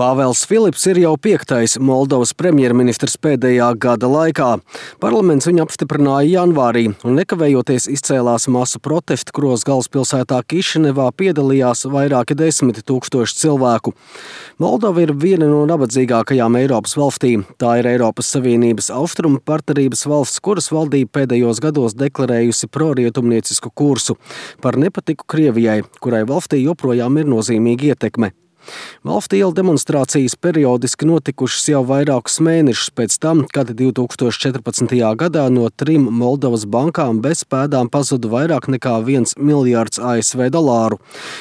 Pāvels Filips ir jau 5. Moldovas premjerministrs pēdējā gada laikā. Parlaments viņu apstiprināja janvārī un nekavējoties izcēlās masu protestu, kuros galvaspilsētā Kišinevā piedalījās vairāki 10 000 cilvēku. Moldova ir viena no nabadzīgākajām Eiropas valstīm. Tā ir Eiropas Savienības austrumu partnerības valsts, kuras valdība pēdējos gados deklarējusi prorietumniecisku kursu par nepatiku Krievijai, kurai valstī joprojām ir nozīmīga ietekme. Valsts ielu demonstrācijas periodiski notikušas jau vairākus mēnešus pēc tam, kad 2014. gadā no 3 Moldovas bankām bez pēdām pazuda vairāk nekā 1 miljārds ASV dolāru.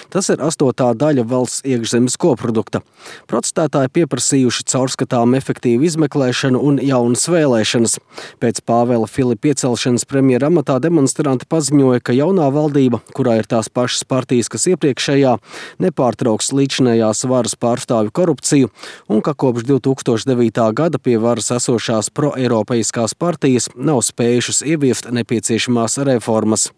Tas ir 8. daļa valsts iekšzemes koprodukta. Protestētāji pieprasījuši caurskatām efektīvu izmeklēšanu un jaunas vēlēšanas. Pēc Pāvela Filipa iecelšanas premjera amatā demonstranti paziņoja, ka jaunā valdība, kurā ir tās pašas partijas, kas iepriekšējā, nepārtrauks līdzinējā varas pārstāvju korupciju un ka kopš 2009. gada pie varas esošās proeiropeiskās partijas nav spējušas ieviest nepieciešamās reformas.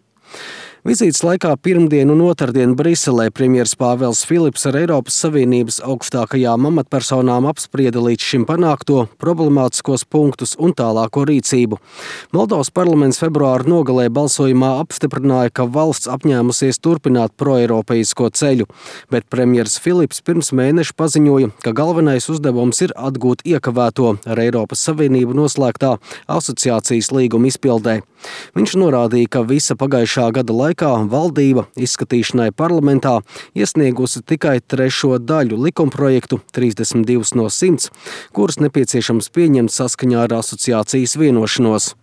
Vizītes laikā pirmdien un otrdien Briselē premjers Pāvels Filips ar Eiropas Savienības augstākajām amatpersonām apsprieda līdz šim panākto, problemātiskos punktus un tālāko rīcību. Moldovas parlaments februāra nogalē balsojumā apstiprināja, ka valsts apņēmusies turpināt proeiropeisko ceļu, bet premjers Filips pirms mēneša paziņoja, ka galvenais uzdevums ir atgūt iekavēto ar Eiropas Savienību noslēgtā asociācijas līguma izpildē. Viņš norādīja, ka visa pagājušā gada laikā valdība izskatīšanai parlamentā iesniegusi tikai 3. daļu likumprojektu, 32 no 100, kurus nepieciešams pieņemt saskaņā ar asociācijas vienošanos.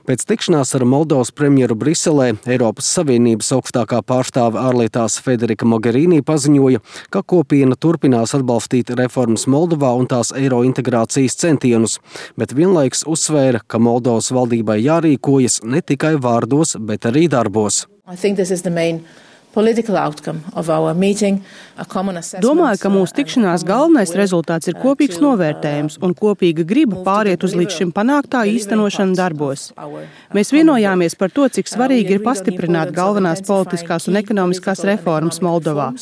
Pēc tikšanās ar Moldovas premjeru Briselē Eiropas Savienības augstākā pārstāve ārlietās Federika Mogherini paziņoja, ka kopiena turpinās atbalstīt reformas Moldovā un tās eiro integrācijas centienus, bet vienlaikus uzsvēra, ka Moldovas valdībai jārīkojas ne tikai vārdos, bet arī darbos. Domāju, ka mūsu tikšanās galvenais rezultāts ir kopīgs novērtējums un kopīga griba pāriet uz līdz šim panāktā īstenošanu darbos. Mēs vienojāmies par to, cik svarīgi ir pastiprināt galvenās politiskās un ekonomiskās reformas Moldovā.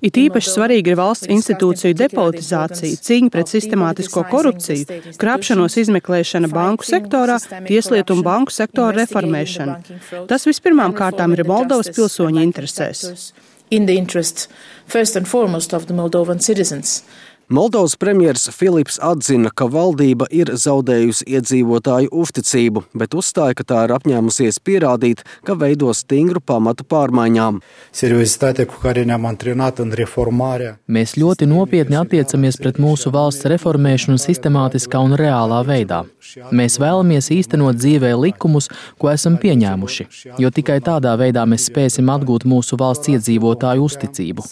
It īpaši svarīgi ir valsts institūciju depolitizācija, cīņa pret sistemātisko korupciju, krāpšanos izmeklēšana banku sektorā, tieslietu un banku sektora reformēšana. Tas vispirmām kārtām ir Moldovas pilsoņu interesēs. Moldovas premjers Filips atzina, ka valdība ir zaudējusi iedzīvotāju uzticību, bet uzstāja, ka tā ir apņēmusies pierādīt, ka veido stingru pamatu pārmaiņām. Mēs ļoti nopietni attiecamies pret mūsu valsts reformēšanu sistemātiskā un reālā veidā. Mēs vēlamies īstenot dzīvē likumus, ko esam pieņēmuši, jo tikai tādā veidā mēs spēsim atgūt mūsu valsts iedzīvotāju uzticību.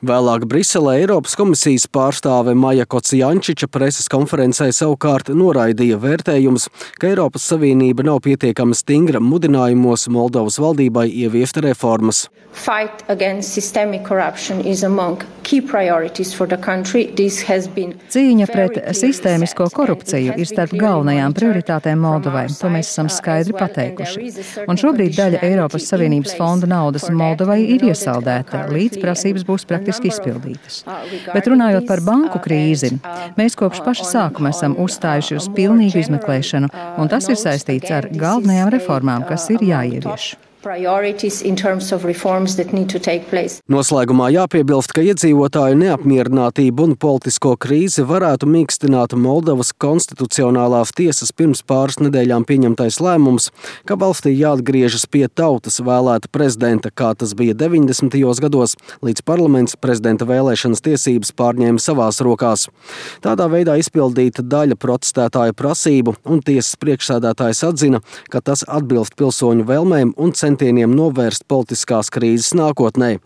Vēlāk Briselē Eiropas komisijas pārstāve Maja Kocijančiča preses konferencē savukārt noraidīja vērtējumus, ka Eiropas Savienība nav pietiekami stingra mudinājumos Moldovas valdībai ieviest reformas. Cīņa pret sistēmisko korupciju ir starp galvenajām prioritātēm Moldovai. To mēs esam skaidri pateikuši. Un šobrīd daļa Eiropas Savienības fonda naudas Moldovai ir iesaldēta, līdz prasības būs praktiski izpildītas. Bet runājot par banku krīzi, mēs kopš paša sākuma esam uzstājuši uz pilnīgu izmeklēšanu, un tas ir saistīts ar galvenajām reformām, kas ir jāievieš. Noslēgumā jāpiebilst, ka iedzīvotāju neapmierinātību un politisko krīzi varētu mīkstināt Moldovas konstitucionālās tiesas pirms pāris nedēļām pieņemtais lēmums, ka valstī jāatgriežas pie tautas vēlēta prezidenta, kā tas bija 90. gados, līdz parlaments prezidenta vēlēšanas tiesības pārņēma savās rokās. Tādā veidā izpildīta daļa protestētāju prasību, un tiesas priekšsēdētājs atzina, ka tas atbilst pilsoņu vēlmēm un centieniem novērst politiskās krīzes nākotnē.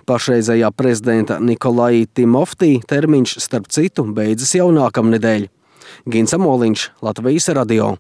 Pašreizējā prezidenta Nikolai Timoftī termiņš, starp citu, beidzas jau nākamnedēļ. Gins Amoliņš, Latvijas radio.